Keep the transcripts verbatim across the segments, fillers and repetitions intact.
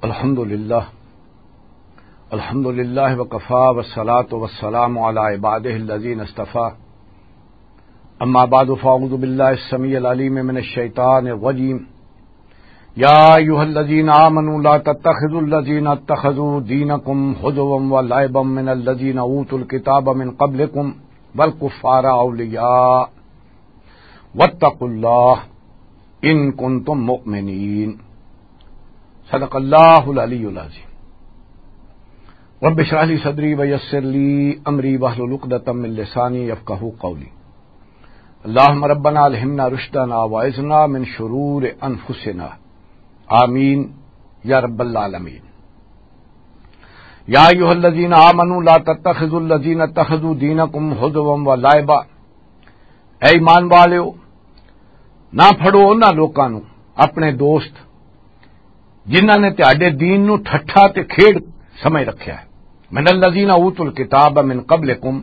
الحمد لله. الحمد لله وكفى، والصلاة والسلام على عباده الذين اصطفى. أما بعد، فأعوذ بالله السميع العليم من الشيطان الرجيم. يا أيها الذين آمنوا لا تتخذوا الذين اتخذوا دينكم هزوا ولعبا من الذين أوتوا الكتاب من قبلكم والكفار أولياء واتقوا الله إن كنتم مؤمنين. صدق الله العلي العظيم. رب اشرح لي صدري ويسر لي أمري واحلل عقدة من لساني يفقهوا قولي. اللهم ربنا ألهمنا رشدنا وأعذنا من شرور أنفسنا. آمين يا رب العالمين. يا أيها الذين آمنوا لا تتخذوا الذين اتخذوا دينكم هزوا ولعبا. اے ایمان والےو، نہ پھڑو انہاں لوکاں نوں اپنے دوست، جنہاں نے تہاڈے دین نوں ٹھٹھا تے کھیڈ سمجھ رکھیا ہے۔ من الذین اوتوا الکتاب من قبلکم،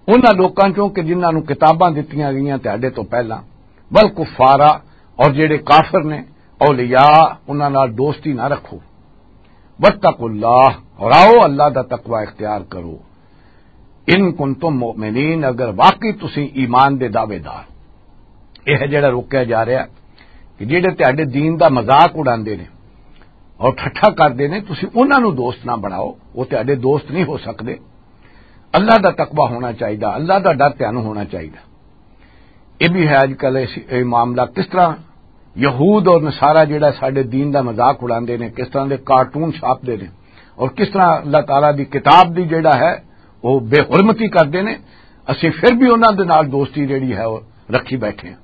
انہاں لوکاں چوں کہ جنہاں نوں کتاباں دتیاں گئیاں تہاڈے تو پہلاں، والکفارا، اور جڑے کافر نے، اولیاء، انہاں نال دوستی نہ رکھو۔ واتقوا اللہ، اور آؤ اللہ دا تقوی اختیار کرو۔ ان کنتم مؤمنین، اگر واقعی تسی ایمان دے دعوے دار۔ یہ ہے جڑا روکیا جا رہا ہے کہ جڑے تہاڈے دین دا مذاق اڑاندے نے اور ٹھٹھا کردے نے، تسی انہاں نوں دوست نہ بناؤ، وہ تہاڈے دوست نہیں ہو سکدے۔ اللہ دا تقوی ہونا چاہیدا، اللہ دا ڈر تہانوں ہونا چاہیدا۔ یہ بھی ہے اج کل اس، یہ معاملہ کس طرح یہود اور نصارہ جڑا ساڈے دین دا مذاق اڑاندے نے، کس طرح دے کارٹون چھاپدے نے اور کس طرح اللہ تعالیٰ دی کتاب دی جڑا ہے وہ بے حرمتی کردے نے، اسی پھر بھی انہاں دے نال دوستی جڑی ہے وہ رکھی بیٹھے ہیں۔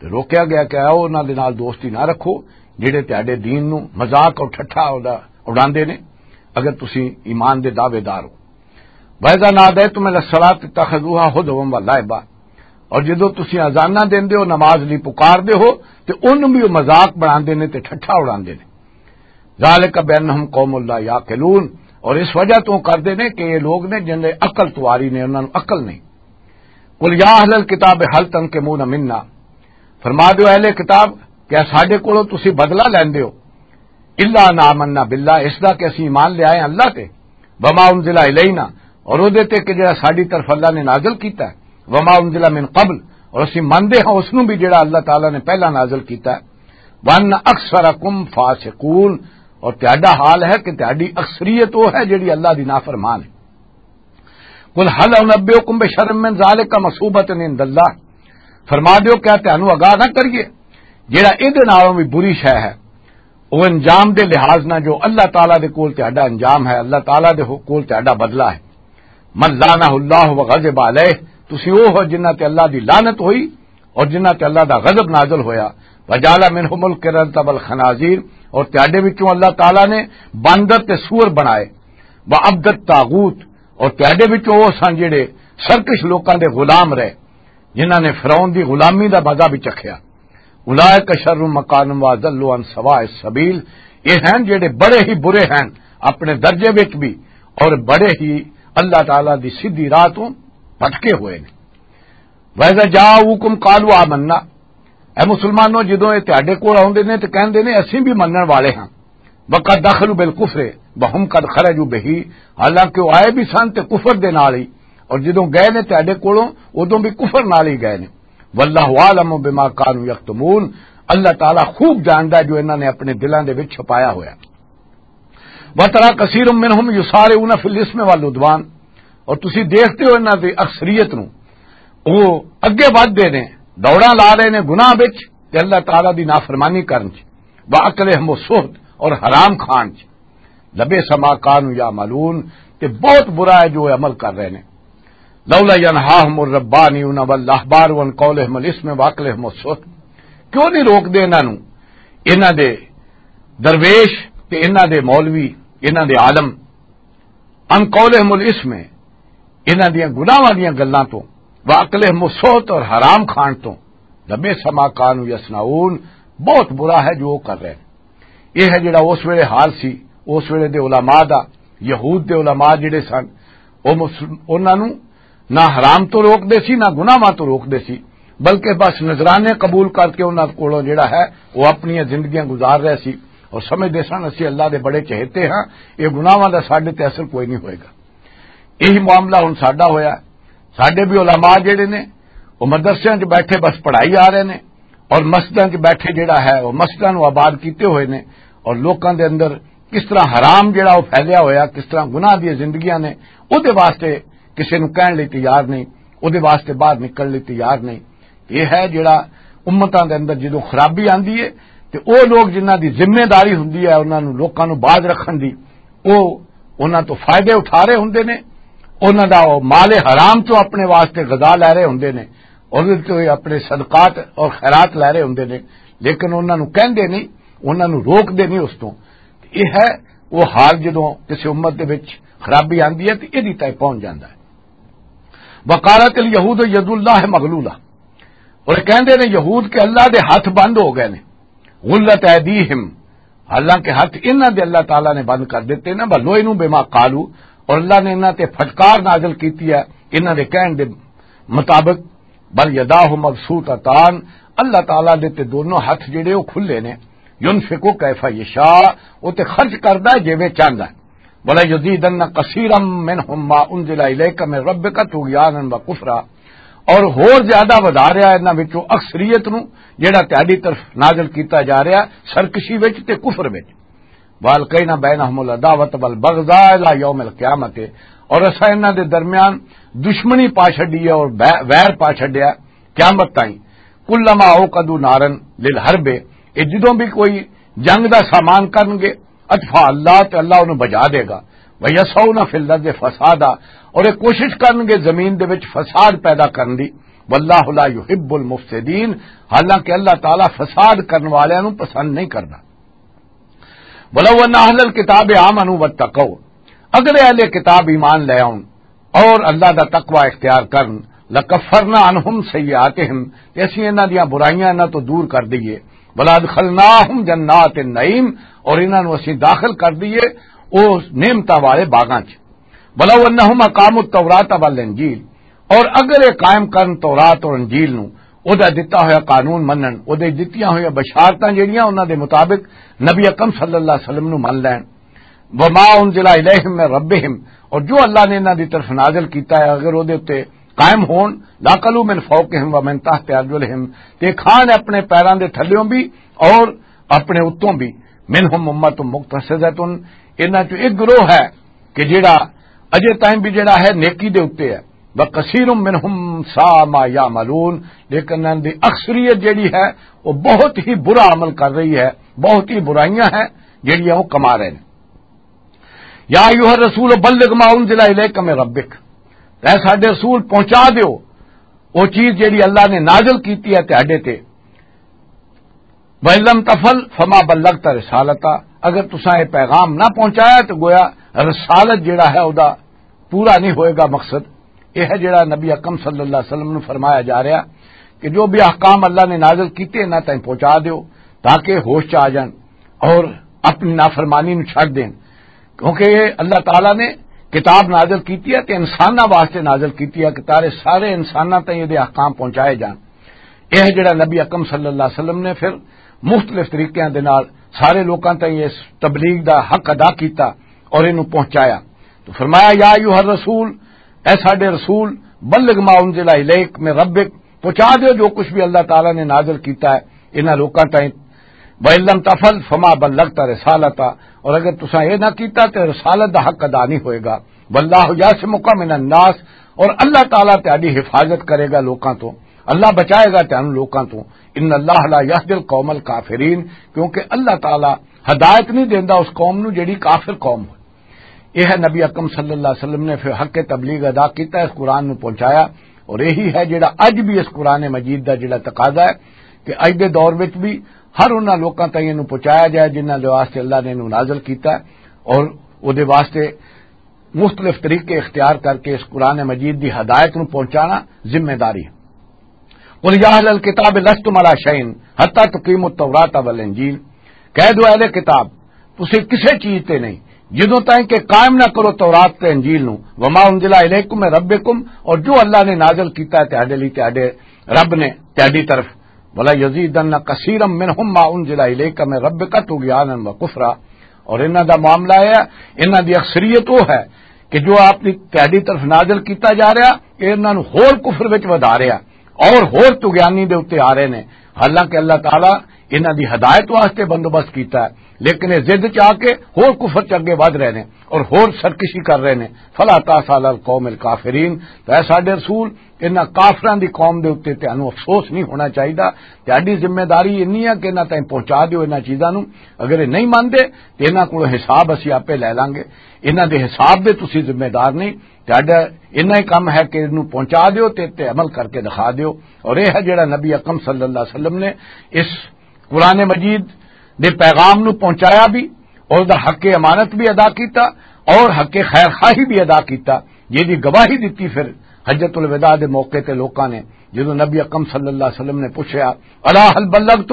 تے روکیا گیا کہ آؤ انہاں دے نال دوستی نہ رکھو جڑے تہاڈے دین نو مذاق اور ٹھٹھا اڑا-، اڑاندے نے، اگر تسی ایمان دے دعوے دار ہو۔ وَإِذَا نَادَيْتُمْ إِلَى الصَّلَاةِ اتَّخَذُوهَا هُزُوًا وَلَعِبًا، اور جدوں تسی اذاناں دیندے ہو نماز لئی پکار دے ہو، تے انہوں بھی وہ مذاق بناندے نے تے ٹھٹھا اڑاندے نے۔ ذَلِكَ بِأَنَّهُمْ قَوْمٌ لَا يَعْقِلُونَ، اور اس وجہ تو کردے نے کہ یہ لوگ نے جن دے عقل تواری نے، انہاں نوں عقل نہیں۔ قُلْ يَا أَهْلَ الْكِتَابِ هَلْ تَنْقِمُونَ مِنَّا، فرما دیو اہل کتاب، کیا ساڈے کولوں تسی بدلہ لیندے ہو؟ الا ان آمنا باللہ، اس دا کہ اسی ایمان لے آئے اللہ تے، وما انزل الینا، اور او دے تے کہ جڑا ساڈی طرف اللہ نے نازل کیتا ہے، وما انزل من قبل، اور اسی مندے ہاں اس نوں بھی جڑا اللہ تعالیٰ نے پہلا نازل کیتا ہے، وان اکثرکم فاسقون، اور تہاڈا حال ہے کہ تہاڈی اکثریت وہ ہے جڑی اللہ دی نافرمان ہے۔ قل هل انبئکم بشر من ذلک مثوبۃ عند اللہ، فرما دیو کیا تانوں آگاہ نہ کریے جڑا اے دے نالوں بھی بری شے ہے، او انجام دے لحاظ نہ جو اللہ تعالیٰ دے کول تہاڈا انجام ہے، اللہ تعالیٰ دے ہو-، کول تہاڈا بدلہ ہے۔ من لعنہ اللہ وغضب علیہ، تسی او ہو جنہ تے اللہ دی لعنت ہوئی اور جنہ تے اللہ دا غضب نازل ہویا۔ وجعل منهم القردۃ والخنازیر، اور تہاڈے وچوں اللہ تعالیٰ نے باندر تے سور بنائے۔ وعبد الطاغوت، اور تہاڈے وچوں وہ سن جڑے سرکش لوکاں دے غلام رہے، جنہاں نے فرعون دی غلامی دا مزہ بھی چکھیا۔ اولئک شر مکانا واضل عن سواء السبیل، یہ ہیں جڑے بڑے ہی برے ہیں اپنے درجے وچ بھی اور بڑے ہی اللہ تعالیٰ دی سیدھی راہ تو بھٹکے ہوئے نے۔ وَإِذَا جَاءُوكُمْ قَالُوا آمَنَّا، اے مسلمانوں، جدوں اے تہاڈے کول آوندے نے تے کہندے نے، "اسیں بھی منن والے ہاں۔" وَقَدْ دَخَلُوا بِالْكُفْرِ وَهُمْ قَدْ خَرَجُوا بِهِ، حالانکہ وہ آئے بھی سن تے کفر دے نال ہی، اور جدوں گئے نے تہاڈے کولوں، ادوں بھی کفر نال ہی گئے نے۔ وَاللَّهُ أَعْلَمُ بِمَا كَانُوا يَكْتُمُونَ، اللہ تعالیٰ خوب جاندا ہے جو انہاں نے اپنے دلاں دے وچ چھپایا ہویا۔ وَتَرَى كَثِيرًا مِنْهُمْ يُسَارِعُونَ فِي الْإِثْمِ وَالْعُدْوَانِ، اور تسی دیکھتے ہو انہاں دی اکثریت نو، وہ اگے ودھ دے نے، دوڑاں لا رہے نے گناہ وچ تے اللہ تعالیٰ دی نافرمانی کرن چ، وَأَكْلِهِمُ السُّحْتَ، اور حرام کھان چ۔ لَبِئْسَ مَا كَانُوا يَعْمَلُونَ، تے بہت برا ہے جو عمل کر رہے نے۔ لولا ينهاهم الربانيون والأحبار عن قولهم الإثم وأكلهم السحت، کیوں نہیں روک دے انہاں نوں، انہاں دے درویش تے انہاں دے مولوی، انہاں دے عالم، عن قولهم الإثم، انہاں دیاں گناہاں دیاں گلاں تو، وأكلهم السحت، اور حرام کھان تو۔ لبئس ما كانوا يصنعون، بہت برا ہے جو وہ کر رہے ہیں۔ یہ ہے جڑا اس ویلے حال سی، اس ویلے دے علماء دا، یہود دے علماء جڑے سن، او مسلم-، انہاں نوں نہ حرام تو روک دے سی، نہ گناہاں تو روک دے سی، بلکہ بس نذرانے قبول کر کے انہاں کولوں جڑا ہے، وہ اپنی زندگیاں گزار رہے سی۔ اور سمجھدے سن، "اسی اللہ دے بڑے چہیتے ہاں، یہ گناہاں دا ساڈے تے اثر کوئی نہیں ہوئے گا۔" یہی معاملہ ہن ساڈا ہویا۔ ساڈے بھی علماء جڑے نے، وہ مدرسیاں 'چ بیٹھے بس پڑھائی آ رہے نے، اور مسجداں 'چ بیٹھے جڑا ہے، وہ مسجداں نوں آباد کیتے ہوئے نے، اور لوکاں دے اندر کس طرح حرام جڑا وہ پھیلیا ہویا، کس طرح گناہ دی زندگیاں نے، وہ دے واسطے کسے نوں کہن لئی تیار نہیں، وہ دے واسطے باہر نکلن لئی تیار نہیں۔ یہ ہے جڑا امتاں دے اندر جدوں خرابی آندی ہے، تے او لوگ جنہاں دی ذمہ داری ہوندی ہے انہاں نوں، لوکاں نوں باز رکھن دی، او انہاں تو فائدے اٹھا رہے ہوندے نے، انہاں دا او مال حرام تو اپنے واسطے غذا لے رہے ہوندے نے، اور تو اپنے صدقات اور خیرات لے رہے ہوندے نے، لیکن انہاں نوں کہندے نہیں، انہاں نوں روک دے نہیں اس تو۔ یہ ہے وہ حال، جدوں کسی امت دے وچ خرابی آندی ہے تے ایدی تائیں پہنچ جاندا ہے۔ وقالت الیہود ید اللہ مغلولہ، اور کہندے نے یہود کہ اللہ دے ہاتھ بند ہو گئے نے۔ غلت ایدیہم، حالانکہ ہاتھ انہاں دے اللہ تعالیٰ نے بند کر دیتے نا، بلوئنوا بما قالوا، اور اللہ نے انہاں تے پھٹکار نازل کیتی ہے انہاں دے کہن دے مطابق۔ بل یداہ مبسوطتان، اللہ تعالیٰ دے تے دونوں ہاتھ جڑے وہ کھلے نے۔ ینفق کیف یشاء، وہ تے خرچ کردا ہے جویں چاہندا ہے۔ ولا یزیدن کثیرا منهم ما انزل الیک من ربک طغیانا و کفرا، اور ہور زیادہ ودھا رہا ہے انہاں وچوں اکثریت نو جڑا تہاڈی طرف نازل کیتا جا رہا ہے سرکشی وچ تے کفر وچ۔ والقینا بینهم العداوۃ والبغضاء الی یوم القیامۃ، اور اساں انہاں دے درمیان دشمنی پا چھڈی ہے اور بے- ویر پا چھڈیا قیامت تائیں۔ کلما اوقدوا نارا للحرب، یہ جدوں بھی کوئی جنگ دا سامان کرن گے، اطفاء اللہ، تے اللہ انہوں بجھا دے گا۔ وَيَسْعَوْنَ فِي الْأَرْضِ فَسَادًا، اور یہ کوشش کرن گے زمین دے وچ فساد پیدا کرن دی۔ وَاللَّهُ لَا يُحِبُّ الْمُفْسِدِينَ، حالانکہ اللہ تعالیٰ فساد کرن والیاں نوں پسند نہیں کردا۔ وَلَوْ أَنَّ أَهْلَ الْكِتَابِ آمَنُوا وَاتَّقَوْا، اگر اہل کتاب ایمان لے آؤن اور اللہ دا تقوی اختیار کرن، لَكَفَّرْنَا عَنْهُمْ سَيِّئَاتِهِمْ، تے اسی انہاں دیاں برائیاں انہاں تو دور کر دئیے۔ وَلَأَدْخَلْنَاهُمْ جَنَّاتِ النَّعِيمِ، اور انہاں نوں اسی داخل کر دئیے او نعمتاں والے باغاں چ۔ وَلَوْ أَنَّهُمْ أَقَامُوا التَّوْرَاةَ وَالْإِنْجِيلَ، اور اگر یہ قائم کرن تورات اور انجیل نوں، او دا دتا ہویا قانون منن، او دے دتیاں ہویا بشارتاں جڑیاں انہاں دے مطابق نبی اکرم صلی اللہ علیہ وسلم نوں من لین، وما انزل الیہم من ربہم، اور جو اللہ نے انہاں دی طرف نازل کیتا ہے، اگر او دے اُتے قائم ہون، لاکلوا من فوقہم ومن تحت ارجلہم، تے کھان اپنے پیراں دے تھلیوں بھی اور اپنے اتوں بھی۔ منہم امۃ مقتصدۃ، انہاں چوں ایک گروہ ہے کہ جڑا اجے ٹائم بھی جڑا ہے نیکی دے اُتے ہے۔ وکثیر منہم ساء ما یعملون، لیکن انہاں دی اکثریت جڑی ہے وہ بہت ہی برا عمل کر رہی ہے، بہت ہی برائیاں ہیں جڑیاں وہ کما رہے ہیں۔ یا ایھا الرسول بلغ ما انزل الیک من ربک، اے ساڈے رسول، پہنچا دیو وہ چیز جڑی اللہ نے نازل کیتی ہے تہاڈے تے۔ وَإِن لَّمْ تَفْعَلْ فَمَا بَلَّغْتَ رِسَالَتَهُ، اگر تساں یہ پیغام نہ پہنچایا تو گویا رسالت جڑا ہے او دا پورا نہیں ہوئے گا مقصد۔ یہ ہے جڑا نبی اکرم صلی اللہ علیہ وسلم نوں فرمایا جا رہا کہ جو بھی احکام اللہ نے نازل کیتے انہاں تائیں پہنچا دیو تاکہ ہوش چ آ جان اور اپنی نافرمانی نوں چھڈ دین، کیونکہ یہ اللہ تعالیٰ نے کتاب نازل کیتی ہے تے انساناں واسطے نازل کیتی ہے کہ تارے سارے انساناں تائیں یہ احکام پہنچائے جان۔ یہ جڑا نبی اکرم صلی اللہ علیہ وسلم نے پھر مختلف طریقیاں دے نال سارے لوکاں تائیں اس تبلیغ دا حق ادا کیتا اور اینوں پہنچایا۔ تو فرمایا، یا ایھا الرسول، اے ساڈے رسول، بلغ ما انزل الیک من ربک، پہنچا دیو جو کچھ بھی اللہ تعالیٰ نے نازل کیتا ہے انہاں لوکاں تائیں۔ وَإِن لَّمْ تَفْعَلْ فَمَا بَلَّغْتَ رِسَالَتَهُ، اور اگر تساں یہ نہ کیتا تے رسالت دا حق ادا نہیں ہوئے گا۔ وَاللَّهُ يَعْصِمُكَ مِنَ النَّاسِ، اور اللہ تعالیٰ تہاڈی حفاظت کرے گا لوکاں تو، اللہ بچائے گا تہانوں لوکاں تو۔ إِنَّ اللَّهَ لَا يَهْدِي الْقَوْمَ الْكَافِرِينَ، کیونکہ اللہ تعالیٰ ہدایت نہیں دیندا اس قوم نو جڑی کافر قوم ہوئے۔ یہ ہے نبی اکرم صلی اللہ علیہ وسلم نے پھر حق تبلیغ ادا کیتا، اس قرآن نو پہنچایا، اور یہی ہے جڑا اج بھی اس قرآن مجید دا جڑا تقاضا ہے کہ اج دے دور وچ بھی ہر انہاں لوکاں تائیں اینوں پہنچایا جائے جنہاں دے واسطے اللہ نے اینوں نازل کیتا ہے، اور او دے واسطے مختلف طریقے اختیار کر کے اس قرآن مجید دی ہدایت نو پہنچانا ذمہ داری ہے۔ قل یا اہل الکتاب لستم علی شیء حتی تقیموا التوراۃ والانجیل، کہہ دو اہل کتاب، تسے کسے چیز تے نہیں جدوں تائیں کہ قائم نہ کرو تورات تے انجیل نو۔ وما انزل الیکم من ربکم، اور جو اللہ نے نازل کیتا ہے تہاڈے لئی، تہاڈے رب نے تہاڈی طرف، وَلَا يَزِيدَنَّ كَثِيرًا مِّنْهُمْ مَا أُنزِلَ إِلَيْكَ مِن رَّبِّكَ طُغْيَانًا وَكُفْرًا۔ اور انہاں دا معاملہ اے ہے، انہاں دی اکثریت او ہے کہ جو آپ دی تہاڈی طرف نازل کیتا جا رہا، اے انہاں نوں ہور کفر وچ ودھا رہا اور ہور طغیانی دے اُتے آ رہے نے۔ حالانکہ اللہ تعالیٰ انہاں دی ہدایت واسطے بندوبست کیتا ہے، لیکن اے ضد چ آ کے ہور کفر چ اگے ودھ رہے نے اور ہور سرکشی کر رہے نے۔ فلا تاس علی القوم الکافرین، تو اے ساڈے رسول، انہاں کافراں دی قوم دے اُتے تانوں افسوس نہیں ہونا چاہیدا۔ تہاڈی ذمہ داری انی ہے کہ انہاں تائیں پہنچا دیو انہاں چیزاں نوں۔ اگر اے نہیں مندے تے انہاں کولوں حساب اسی آپے لے لانگے۔ انہاں دے حساب دے تسی ذمہ دار نہیں۔ تہاڈا اتنا ہی کم ہے کہ انہوں پہنچا دیو تے تے عمل کر کے دکھا دیو۔ اور یہ ہے جڑا نبی اکرم صلی اللہ علیہ وسلم نے اس قرآن مجید دے پیغام نو پہنچایا بھی، اور دا حق امانت بھی ادا کیتا، اور حق خیر خواہی بھی ادا کیتا، جس دی گواہی دتی پھر حجۃ الوداع دے موقع تے لوکاں نے، جدوں نبی اکرم صلی اللہ علیہ وسلم نے پوچھا، الا هل بلغت؟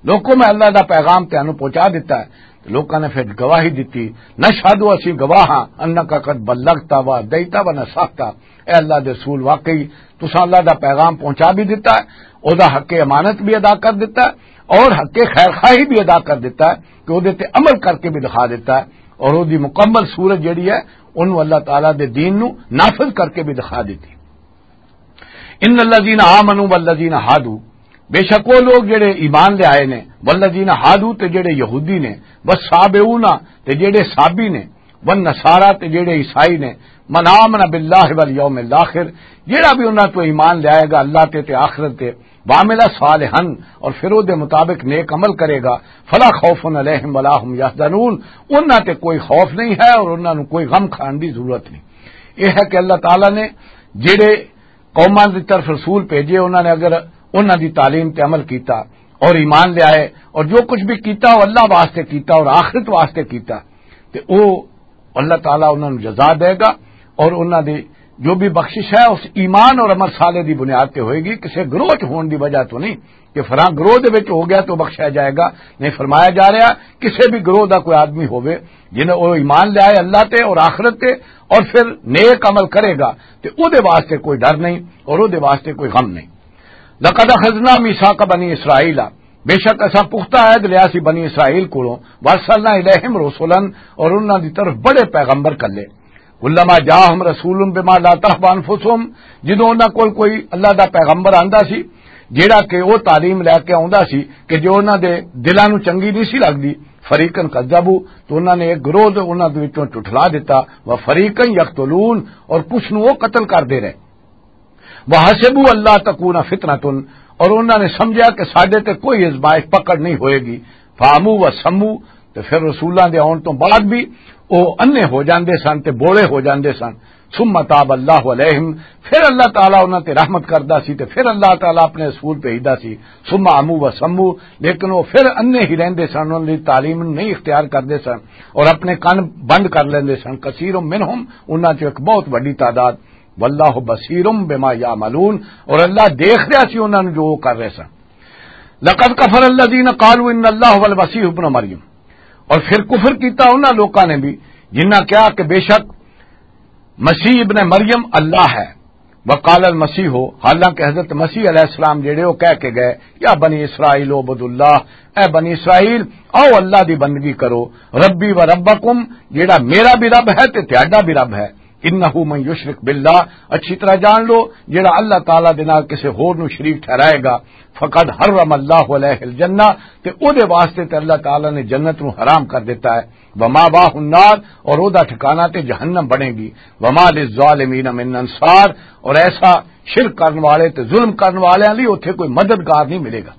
لوکو، میں اللہ دا پیغام تانوں پہنچا دتا ہے۔ تے لوکاں نے پھر گواہی دتی، نشہد، اسی گواہ ہاں، انک قد بلغت و ادیت و نصحت۔ اے اللہ دے رسول، واقعی تساں اللہ دا پیغام پہنچا بھی دتا ہے، او دا حق امانت بھی ادا کر دتا ہے، اور حق خیر خواہی بھی ادا کر دتا ہے کہ او دے تے عمل کر کے بھی دکھا دتا ہے، اور او دی مکمل صورت جڑی ہے، انہوں اللہ تعالیٰ دے دین نو نافذ کر کے بھی دکھا دتی۔ ان الذین آمنوا والذین ہادو، بے شک وہ لوگ جڑے ایمان لے آئے نے، والذین ہادو، تے جڑے یہودی نے، والصابئون، تے جڑے صابی نے، والنصارى، تے جڑے عیسائی نے، من آمن باللہ والیوم الاخر، جڑا بھی انہاں تو ایمان لے آئے گا اللہ تے تے آخرت تے، وعمل صالحا، اور پھر او دے مطابق نیک عمل کرے گا، فلا خوف علیہم ولا هم يحزنون، انہاں تے کوئی خوف نہیں ہے اور انہاں نوں کوئی غم کھان دی ضرورت نہیں۔ یہ ہے کہ اللہ تعالیٰ نے جڑے قوماں دی طرف رسول بھیجے، انہاں نے اگر انہاں دی تعلیم تے عمل کیتا اور ایمان لے آئے اور جو کچھ بھی کیتا، وہ اللہ واسطے کیتا اور آخرت واسطے کیتا، تے او اللہ تعالیٰ انہاں نوں جزا دے گا، اور انہاں دی جو بھی بخشش ہے، اس ایمان اور عمل صالح دی بنیاد تے ہوئے گی، کسے گروہ چ ہون دی وجہ تو نہیں کہ فلاں گروہ دے وچ ہو گیا تو بخشیا جائے گا۔ نہیں، فرمایا جا رہا، کسے بھی گروہ دا کوئی آدمی ہووے، جنہیں او ایمان لے آئے اللہ تے اور آخرت تے، اور پھر نیک عمل کرے گا، تے او دے واسطے کوئی ڈر نہیں اور او دے واسطے کوئی غم نہیں۔ لقد اخذنا ميثاق بني اسرائيل، بے شک اساں پختہ عہد لیا سی بنی اسرائیل کولوں، وارسلنا الیہم رسلا، اور انہاں دی طرف بڑے پیغمبر کلے۔ کلما جاءہم رسول بما لا تهوى انفسهم، جدوں انہاں کول کوئی اللہ دا پیغمبر آندا سی، جیڑا کہ او تعلیم لے کے آندا سی کہ جو انہاں دے دلاں نوں چنگی نہیں سی لگدی، فریقا کذبوا، تو انہاں نے ایک گروہ دے انہاں دے وچوں جھٹلا دتا، وفریقا یقتلون، اور کچھ نوں او قتل کردے رہے۔ وحسبوا الا تکون فتنة، اور انہاں نے سمجھا کہ ساڈے تے کوئی ازمائش پکڑ نہیں ہوئے گی۔ فعموا وصموا، تے پھر رسولاں دے آن تو بعد بھی او انے ہو جاندے سن تے بولے ہو جاندے سن۔ ثم تاب اللہ علیہم، پھر اللہ تعالیٰ انہاں تے رحمت کردا سی تے پھر اللہ تعالیٰ اپنے رسول بھیجدا سی۔ ثم عموا وصموا، لیکن وہ پھر انے ہی رہندے سن، انہاں دی تعلیم نوں نہیں اختیار کردے سن اور اپنے کن بند کر لیندے سن۔ کثیر منہم، انہاں چوں ایک بہت وڈی تعداد۔ واللہ بصیر بما یعملون، اور اللہ دیکھ رہا سی انہاں نوں جو وہ کر رہے سن۔ لقد کفر الذین قالوا ان اللہ هو المسیح ابن مریم، اور پھر کفر کیتا انہاں لوکاں نے بھی جنہاں کہا کہ بے شک مسیح ابن مریم اللہ ہے۔ وقال المسیح، حالانکہ حضرت مسیح علیہ السلام جڑے وہ کہہ کے گئے، یا بنی اسرائیل اعبدوا اللہ، اے بنی اسرائیل، آؤ اللہ دی بندگی کرو، ربی و ربکم، جڑا میرا بھی رب ہے تے تہاڈا بھی رب ہے۔ انہ من یشرک باللہ، اچھی طرح جان لو، جڑا اللہ تعالیٰ دے نال کسے ہور نو شریک ٹھہرائے گا، فقد حرم اللہ علیہ الجنہ، تے او دے واسطے تے اللہ تعالیٰ نے جنت نو حرام کر دیتا ہے۔ وماواہ النار، اور او دا ٹھکانہ تے جہنم بنے گی۔ وما للظالمین من انصار، اور ایسا شرک کرن والے تے ظلم کرن والے لئی اوتھے کوئی مددگار نہیں ملے گا۔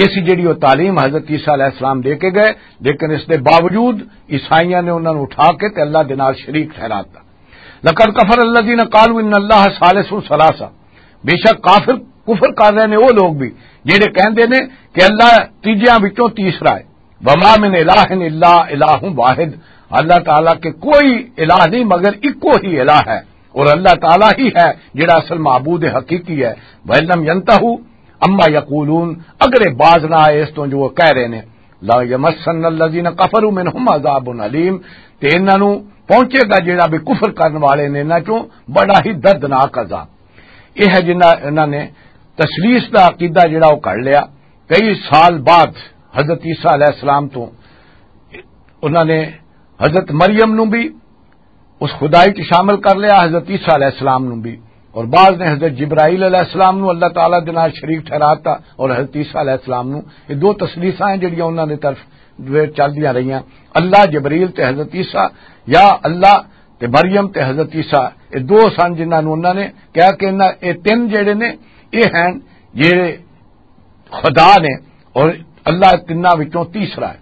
اس جڑی وہ تعلیم حضرت عیسیٰ علیہ السلام دے کے گئے، لیکن اس دے باوجود عیسائیاں نے انہاں نوں اٹھا کے تے اللہ دے نال شریک ٹھہراتا۔ لقد کفر الذین قالوا ان اللہ ثالث ثلاثہ، بے شک کافر کفر کر رہے نے وہ لوگ بھی جڑے کہندے نے کہ اللہ تیجیاں وچوں تیسرا ہے۔ وما من الہ الا الہ واحد، اللہ تعالیٰ کے کوئی الہ نہیں مگر اکو ہی الہ ہے، اور اللہ تعالیٰ ہی ہے جڑا اصل معبود حقیقی ہے۔ وَإِن لَّمْ يَنْتَهُوا عَمَّا يَقُولُونَ، اگر یہ باز نہ آئے اس تو جو وہ کہہ رہے نے، لَا يَمَسَّنَّ الَّذِينَ كَفَرُوا مِنْهُمْ عَذَابٌ أَلِيمٌ، تے انہاں نوں پہنچے گا جڑا بھی کفر کرن والے نے انہاں چوں بڑا ہی دردناک عذاب۔ یہ ہے جنہاں، انہاں نے تثلیث دا عقیدہ جڑا وہ کر لیا۔ کئی سال بعد حضرت عیسیٰ علیہ السلام تو انہوں نے حضرت مریم نو بھی اس خدائی چ شامل کر لیا، حضرت عیسیٰ علیہ السلام نو بھی، اور بعض نے حضرت جبرائیل علیہ السلام نو اللہ تعالیٰ دے نال شریک ٹھہراتا، اور حضرت عیسیٰ علیہ السلام نو۔ یہ دو تثلیثاں ہیں جڑیاں انہاں دے طرف چلدیاں رہیاں۔ اللہ، جبرائیل تے حضرت عیسیٰ، یا اللہ تے مریم تے حضرت عیسیٰ، یہ دو سن جنہاں نو انہاں نے کہا کہ انہاں، یہ تین جڑے نے، یہ ہیں جڑے خدا نے، اور اللہ تنہاں وچوں تیسرا ہے۔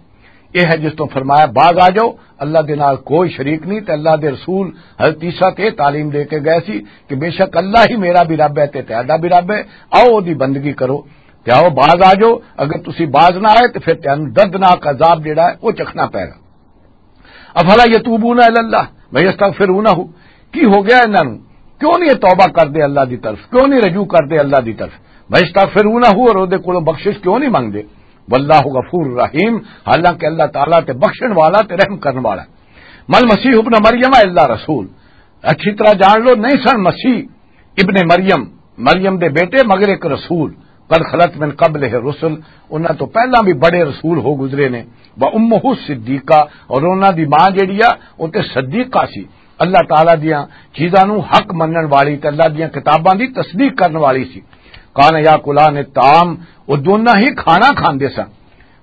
یہ ہے جس تو فرمایا، "باز آ جاؤ، اللہ دے نال کوئی شریک نہیں۔" تے اللہ دے رسول حضرت عیسیٰ تے تعلیم دے کے گئے سی کہ بے شک اللہ ہی میرا بھی رب ہے تے تہاڈا بھی رب ہے، آؤ دی بندگی کرو۔ تے آؤ باز آ جاؤ، اگر تسی باز نہ آئے تے پھر تانوں دردناک عذاب جڑا ہے وہ چکھنا پے گا۔ افلا یتوبون الی اللہ ویستغفرونہ، کی ہو گیا انہاں نوں؟ کیوں نہیں یہ توبہ کردے اللہ دی طرف؟ کیوں نہیں رجوع کردے اللہ دی طرف؟ ویستغفرونہ، اور او دے کولوں بخشش کیوں نہیں منگدے؟ واللہ غفور رحیم، حالانکہ اللہ تعالیٰ تے بخشن والا تے رحم کرن والا ہے۔ مل مسیح ابن مریم الا رسول، اچھی طرح جان لو، نہیں سن مسیح ابن مریم، مریم دے بیٹے، مگر ایک رسول۔ قد خلت من قبلہ الرسل، انہاں تو پہلاں بھی بڑے رسول ہو گزرے نے۔ و امہ صدیقہ، اور انہاں دی ماں جیڑی آ، او تے صدیقہ سی، اللہ تعالیٰ دیاں چیزاں نو حق منن والی تے اللہ دیاں کتاباں دی تصدیق کرن والی سی۔ کان یا کلان الطعام، او دوناں ہی کھانا کھاندے سن۔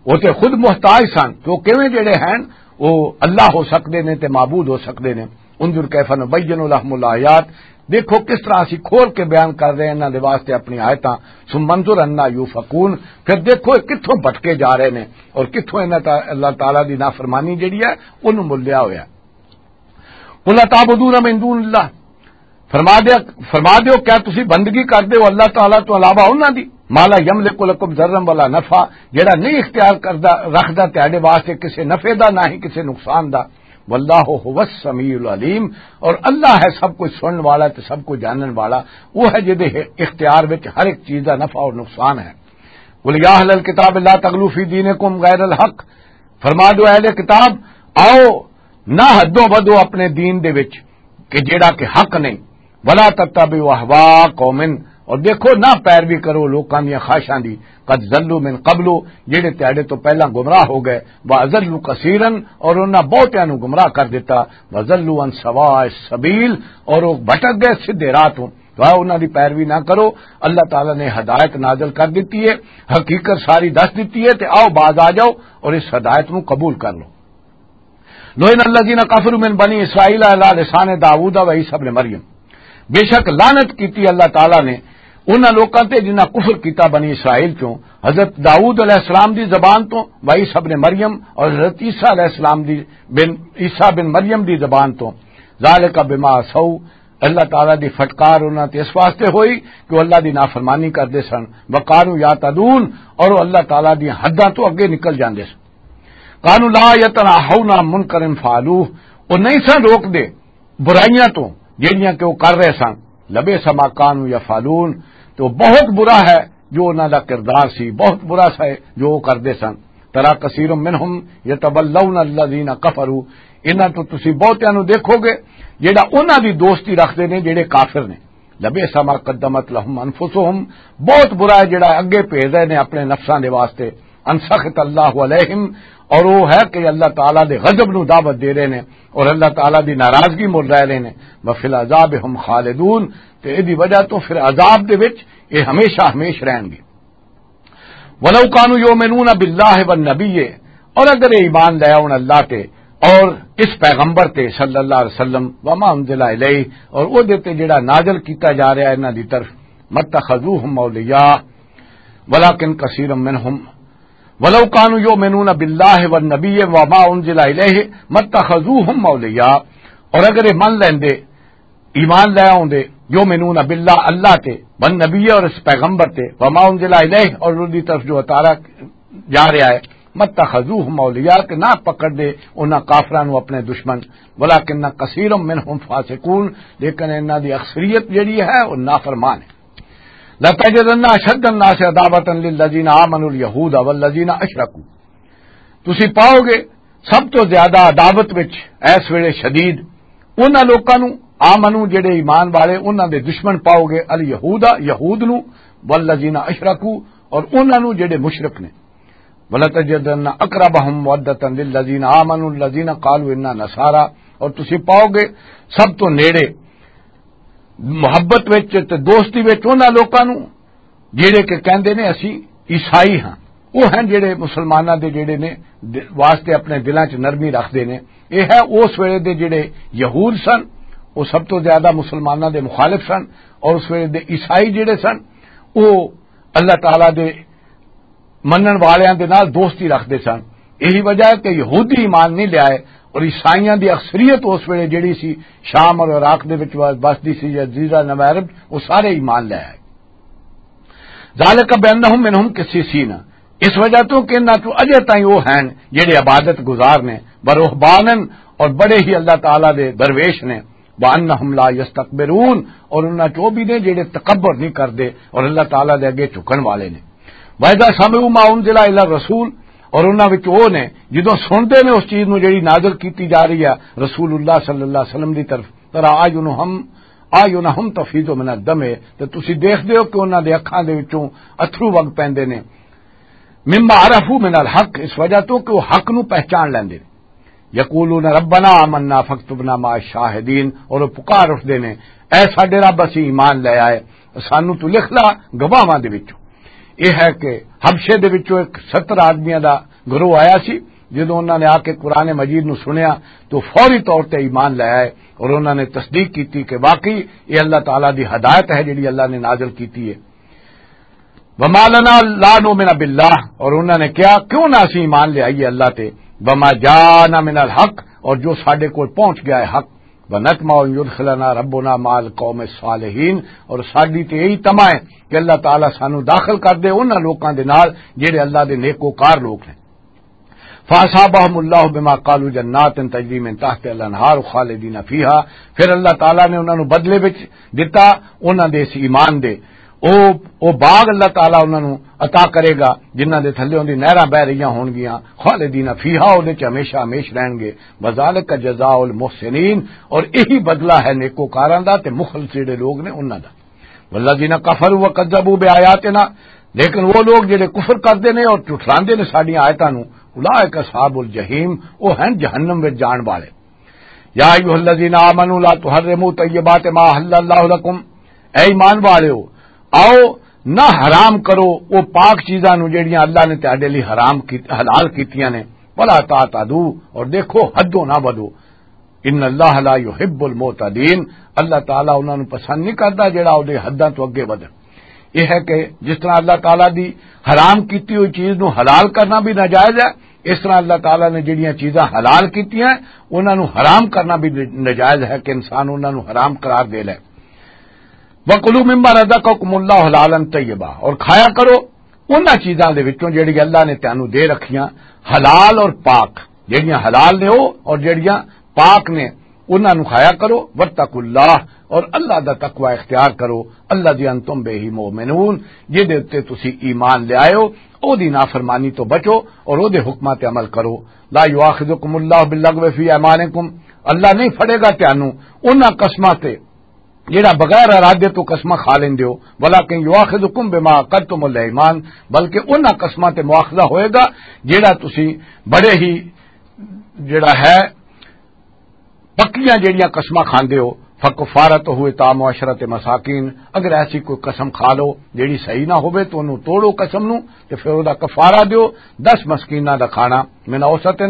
وہ تے خود محتاج سن کہ وہ کیویں جڑے ہیں، وہ اللہ ہو سکتے نے تے معبود ہو سکتے نے۔ انظر کیف نبین لہم الآیات، دیکھو کس طرح اسی کھول کے بیان کر رہے ہیں انہاں دے واسطے اپنی آیتاں۔ ثم انظر انا یوفکون، پھر دیکھو یہ کتھوں بھٹکے جا رہے نے اور کتھوں انہاں تا-، اللہ تعالیٰ دی نافرمانی جڑی ہے، انہوں ملیا ہویا ہے۔ قل اتعبدون من دون اللہ، فرما دیا، فرما دیو، کیا تسی بندگی کردے ہو اللہ تعالیٰ تو علاوہ انہاں دی؟ ما لا یملک لکم ضرا ولا نفعا، جڑا نہیں اختیار کردا، رکھدا تہاڈے واسطے کسے نفع دا، نہ ہی کسے نقصان دا۔ واللہ هو السمیع العلیم، اور اللہ ہے سب کچھ سنن والا تے سب کچھ جانن والا۔ وہ ہے جدے اختیار وچ ہر ایک چیز دا نفع اور نقصان ہے۔ قل یا اہل الکتاب لا تغلوا فی دینکم غیر الحق، فرما دو اہل کتاب، آؤ نہ حدوں ودو اپنے دین دے وچ کہ جیڑا کہ حق نہیں۔ ولا تتبعوا اہواء قوم، اور دیکھو نہ پیروی کرو لوکاں دیاں خواہشاں دی۔ قد ضلوا من قبل، جیڑے تیاڈے تو پہلاں گمراہ ہو گئے۔ واضلوا کثیرا، اور انہاں بہتیاں نو گمراہ کر دیتا۔ وضلوا عن سواء السبیل، اور وہ بھٹک گئے سیدھے راہ تو۔ تو آؤ انہاں دی پیروی نہ کرو۔ اللہ تعالیٰ نے ہدایت نازل کر دیتی ہے، حقیقت ساری دس دیتی ہے، تے آؤ باز آ جاؤ اور اس ہدایت نو قبول کر لو۔ لعن الذین کفروا من بنی اسرائیل علی لسان داؤد و عیسی ابن مریم، بے شک لعنت کیتی اللہ تعالیٰ نے انہاں لوکاں تے جنہاں کفر کیتا بنی اسرائیل چوں، حضرت داؤد علیہ السلام دی زبان تو، و عیسی ابن مریم، اور حضرت عیسیٰ علیہ السلام دی بن، عیسیٰ بن مریم دی زبان تو۔ ذالک بما عصوا، اللہ تعالیٰ دی فٹکار انہاں تے اس واسطے ہوئی کہ وہ اللہ دی نافرمانی کردے سن۔ وکانوا یعتدون، اور وہ اللہ تعالیٰ دی حداں تو اگے نکل جاندے سن۔ کانوا لا یتناہون عن منکر فعلوہ، وہ نہیں سن روک دے برائیاں تو جہڑیاں کہ وہ کر رہے سن۔ لبئس ما کانوا یفعلون، تو بہت برا ہے جو انہاں دا کردار سی، بہت برا سا ہے جو وہ کردے سن۔ ترا کثیر منہم یتولون الذین کفروا، انہاں تو تسی بہتیاں نو دیکھو گے جیڑا انہاں دی دوستی رکھدے نے جیڑے کافر نے۔ لبئس ما قدمت لہم انفسہم، بہت برا ہے جیڑا اگے بھیج رہے نے اپنے نفساں دے واسطے۔ ان سخط اللہ علیہم، اور وہ ہے کہ اللہ تعالیٰ دے غضب نو دعوت دے رہے نے اور اللہ تعالیٰ دی ناراضگی مل رہے نے۔ وفی العذاب ہم خالدون، تے ایدی وجہ تو پھر عذاب دے وچ یہ ہمیشہ ہمیش رہن گے۔ ولو کانوا یؤمنون باللہ والنبی، اور اگر یہ ایمان لے آؤن اللہ تے اور اس پیغمبر تے صلی اللہ علیہ وسلم، وما انزل الیہ، اور او دے تے جڑا نازل کیتا جا رہا ہے انہاں دی طرف، متخذوہم اولیاء ولکن کثیر منہم، ولو کانوا یؤمنون باللہ والنبی وما انزل الیہ متخذوہم اولیاء، اور اگر یہ من لیندے ایمان لے آؤندے، یؤمنون باللہ، اللہ تے، والنبی، اور اس پیغمبر تے، وما انزل الیہ، اور ان دی طرف جو اتارا جا رہا ہے، متخذوہم اولیاء، کہ نہ پکڑ دے انہاں کافراں نو اپنے دشمن، ولکن کثیر منہم فاسقون، لیکن انہاں دی اکثریت جڑی ہے وہ نافرمان ہے۔ لتجدن اشد الناس عداوة للذین آمنوا الیہود والذین اشرکوا، تسی پاؤ گے سب تو زیادہ عداوت وچ اس ویلے شدید انہاں لوکاں نو، آمنو، جڑے ایمان والے، انہاں دے دشمن پاؤ گے، الیہود، یہود نو، والذین اشرکوا، اور انہاں نوں جڑے مشرک نے۔ ولتجدن اقربهم مودة للذین آمنوا الذین قالوا انا نصارى، اور تسی پاؤ گے سب تو نیڑے محبت وچ تے دوستی وچ انہاں لوکاں نوں جڑے کہ کہندے نے اسی عیسائی ہاں۔ وہ ہیں جڑے مسلماناں دے جڑے نے د-، واسطے اپنے دلاں چ نرمی رکھدے نے۔ یہ ہے اس ویلے دے جڑے یہود سن، وہ سب تو زیادہ مسلماناں دے مخالف سن، اور اس ویلے دے عیسائی جڑے سن، وہ اللہ تعالیٰ دے منن والیاں دے نال دوستی رکھدے سن۔ یہی وجہ ہے کہ یہودی ایمان نہیں لے آئے، اور عیسائیاں دی اکثریت اس ویلے جڑی سی شام اور عراق دے وچ بسدی سی، جزیرہ نوارب، وہ سارے ایمان لے آئے۔ ذالک بانہم منہم قسیسین، اس وجہ تو کہ انہاں چوں اجے تائیں وہ ہیں جڑے عبادت گزار نے، ورہبانن، اور بڑے ہی اللہ تعالیٰ دے درویش نے، وانہم لا یستکبرون، اور انہاں چوں بھی نے جڑے تکبر نہیں کردے اور اللہ تعالیٰ دے اگے جھکن والے نے۔ وَإِذَا سَمِعُوا مَا أُنزِلَ إِلَى الرَّسُولِ، اور انہاں وچ وہ نے جدوں سنتے نے اس چیز نوں جڑی نازل کیتی جا رہی ہے رسول اللہ صلی اللہ علیہ وسلم دی طرف، تَرَىٰ أَعْيُنَهُمْ، أَعْيُنَهُمْ تَفِيضُ مِنَ الدَّمْعِ، تے تسی دیکھدے ہو کہ انہاں دے اکھاں دے وچوں اتھرو وگ پیندے نے، مما عرفوا من الحق، اس وجہ تو کہ وہ حق نو پہچان لیندے نے۔ یقولون ربنا آمنا فاکتبنا مع الشاہدین، اور وہ پکار اٹھدے نے، اے ساڈے رب، اسی ایمان لے آئے، سانو تو لکھ لا گواہاں دے وچوں۔ یہ ہے کہ حبشے دے وچوں ایک ستر آدمیاں دا گروہ آیا سی، جدوں انہاں نے آ کے قرآن مجید نو سنیا تو فوری طور تے ایمان لے آئے، اور انہاں نے تصدیق کیتی کہ واقعی یہ اللہ تعالیٰ دی ہدایت ہے جڑی اللہ نے نازل کیتی ہے۔ وما لنا لا نؤمن باللہ، اور انہاں نے کہا، کیوں نہ اسی ایمان لے آئیے اللہ تے، وما جاءنا من الحق، اور جو ساڈے کول پہنچ گیا ہے حق، ونطمع ان یدخلنا ربنا مع القوم الصالحین، اور ساڈی تے یہی طمع ہے کہ اللہ تعالیٰ سانو داخل کر دے انہاں لوکاں دے نال جڑے اللہ دے نیکوکار لوک ہیں۔ فاصابهم اللہ بما قالوا جنات تجری من تحت الانہار خالدین فیہا، پھر اللہ تعالیٰ نے انہاں نوں بدلے وچ دتا انہاں دے اس ایمان دے۔ او، او باغ اللہ تعالیٰ انہاں نوں عطا کرے گا جنہاں دے تھلے دی نہراں بہ رہیاں ہون گیاں، خالدین فیہا، او دے چ ہمیشہ ہمیش رہن گے۔ وذالک جزاء المحسنین، اور یہی بدلہ ہے نیکوکاراں دا تے مخلص جڑے لوگ نے انہاں دا۔ والذین کفروا وکذبوا بآیاتنا، لیکن وہ لوگ جڑے کفر کردے نے اور جھٹلاندے نے ساڈیاں آیتاں نوں، اولئک اصحاب الجحیم، وہ ہیں جہنم وچ جان والے۔ یا ایھا الذین آمنوا لا تحرموا طیبات ما احل اللہ لکم، اے ایمان والےو، آؤ نہ حرام کرو وہ پاک چیزاں نوں جڑیاں اللہ نے تہاڈے لئی حرام کی، حلال کیتیاں نے۔ ولا تعتدوا، اور دیکھو حدوں نہ ودو۔ ان اللہ لا یحب المعتدین، اللہ تعالیٰ انہاں نوں پسند نہیں کردا جڑا اودے حداں تو اگے ودن۔ یہ ہے کہ جس طرح اللہ تعالیٰ دی حرام کیتی ہوئی چیز نوں حلال کرنا بھی ناجائز ہے، اس طرح اللہ تعالیٰ نے جڑیاں چیزاں حلال کیتیاں ہیں، انہاں نوں حرام کرنا بھی ناجائز ہے کہ انسان انہاں نوں حرام قرار دے لے۔ وَكُلُوا مِمَّا رَزَقَكُمُ اللَّهُ حَلَالًا طَيِّبًا، اور کھایا کرو انہاں چیزاں دے وچوں جڑی اللہ نے تانوں دے رکھیاں، حلال اور پاک، جڑیاں حلال نے او اور جڑیاں پاک نے، انہاں نوں کھایا کرو۔ وَاتَّقُوا اللَّهَ، اور اللہ دا تقوی اختیار کرو۔ الَّذِي أَنتُم بِهِ مُؤْمِنُونَ، جدے اُتے تسی ایمان لے آئے ہو، او دی نافرمانی تو بچو اور او دے حکماں تے عمل کرو۔ لَا يُؤَاخِذُكُمُ اللَّهُ بِاللَّغْوِ فِي أَيْمَانِكُمْ، اللہ نہیں پھڑے گا تانوں انہاں قسماں تے جڑا بغیر ارادے تو قسماں کھا لیندے ہو، وَلَٰكِن يُؤَاخِذُكُم بِمَا عَقَدتُّمُ الْأَيْمَانَ، بلکہ انہاں قسماں تے مواخذہ ہوئے گا جڑا تسی بڑے ہی، جڑا ہے، پکیاں جڑیاں قسماں کھاندے ہو۔ فَكَفَّارَتُهُ إِطْعَامُ عَشَرَةِ مَسَاكِينَ، اگر ایسی کوئی قسم کھا لو جڑی صحیح نہ ہوے تو انہوں توڑو قسم نوں، تے پھر او دا کفارہ دیو، دس مسکیناں دا کھانا، مِنْ أَوْسَطِ،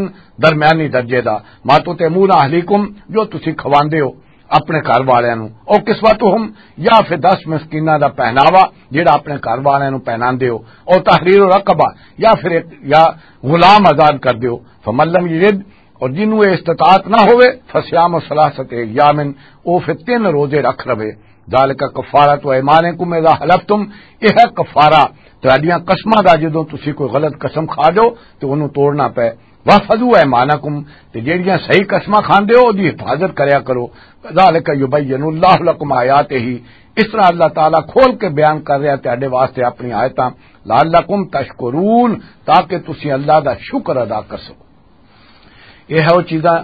درمیانی درجے دا، مَا تُطْعِمُونَ أَهْلِيكُمْ، جو تسی کھواندے ہو اپنے گھر والیاں نوں، او کسوتہم، یا پھر دس مسکیناں دا پہناوا جڑا اپنے گھر والیاں نوں پہناندے ہو، او تحریر رقبہ، یا پھر ایک، یا غلام آزاد کر دیو۔ فَمَن لَّمْ يَجِدْ، اور جنوں اے استطاعت نہ ہوئے، فَصِيَامُ ثَلَاثَةِ أَيَّامٍ، او پھر تین روزے رکھ رہے۔ ذَٰلِكَ كَفَّارَةُ أَيْمَانِكُمْ إِذَا حَلَفْتُمْ، یہ ہے کفارہ تہاڈیاں قسماں دا، جدوں تسی کوئی غلط قسم کھا جاؤ تے اونوں توڑنا پے۔ وَاحْفَظُوا أَيْمَانَكُمْ، تے جیڑیاں صحیح قسماں کھاندے ہو، اودی حفاظت کریا کرو۔ كَذَٰلِكَ يُبَيِّنُ اللَّهُ لَكُمْ آيَاتِهِ، اس طرح اللہ تعالیٰ کھول کے بیان کر رہا ہے تہاڈے واسطے اپنی آیتاں۔ لَعَلَّكُمْ تَشْكُرُونَ، تاکہ تسی اللہ دا شکر ادا کر سکو۔ یہ ہے وہ چیزاں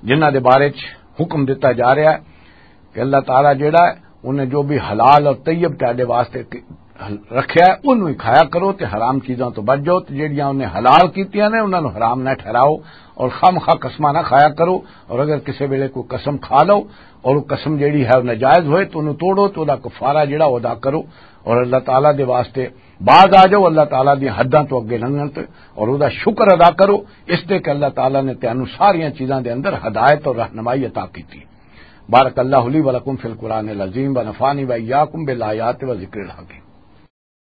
جنہاں دے بارے چ حکم دتا جا رہا ہے کہ اللہ تعالیٰ جیڑا ہے، انہیں جو بھی حلال اور طیب تہاڈے واسطے رکھیا ہے، انہوں ہی کھایا کرو، تے حرام چیزاں تو بچ جاؤ، تے جیڑیاں انہیں حلال کیتیاں نے، انہاں نوں حرام نہ ٹھہراؤ، اور خامخواہ قسماں نہ کھایا کرو۔ اور اگر کسے ویلے کوئی قسم کھا لو، اور وہ قسم جیڑی ہے وہ ناجائز ہوئے، تو انہوں توڑو، تو دا کفارہ جیڑا وہ ادا کرو، اور اللہ تعالیٰ دے واسطے باز آ جاؤ، اللہ تعالیٰ دی حداں تو اگے لنگھن تے، اور وہ دا شکر ادا کرو، اس تے کہ اللہ تعالیٰ نے تینوں ساریاں چیزاں دے اندر ہدایت اور رہنمائی عطا کیتی۔ بارک اللہ لی و لکم فی القرآن العظیم و نفعنی و ایاکم بالآیات و ذکر الحکیم۔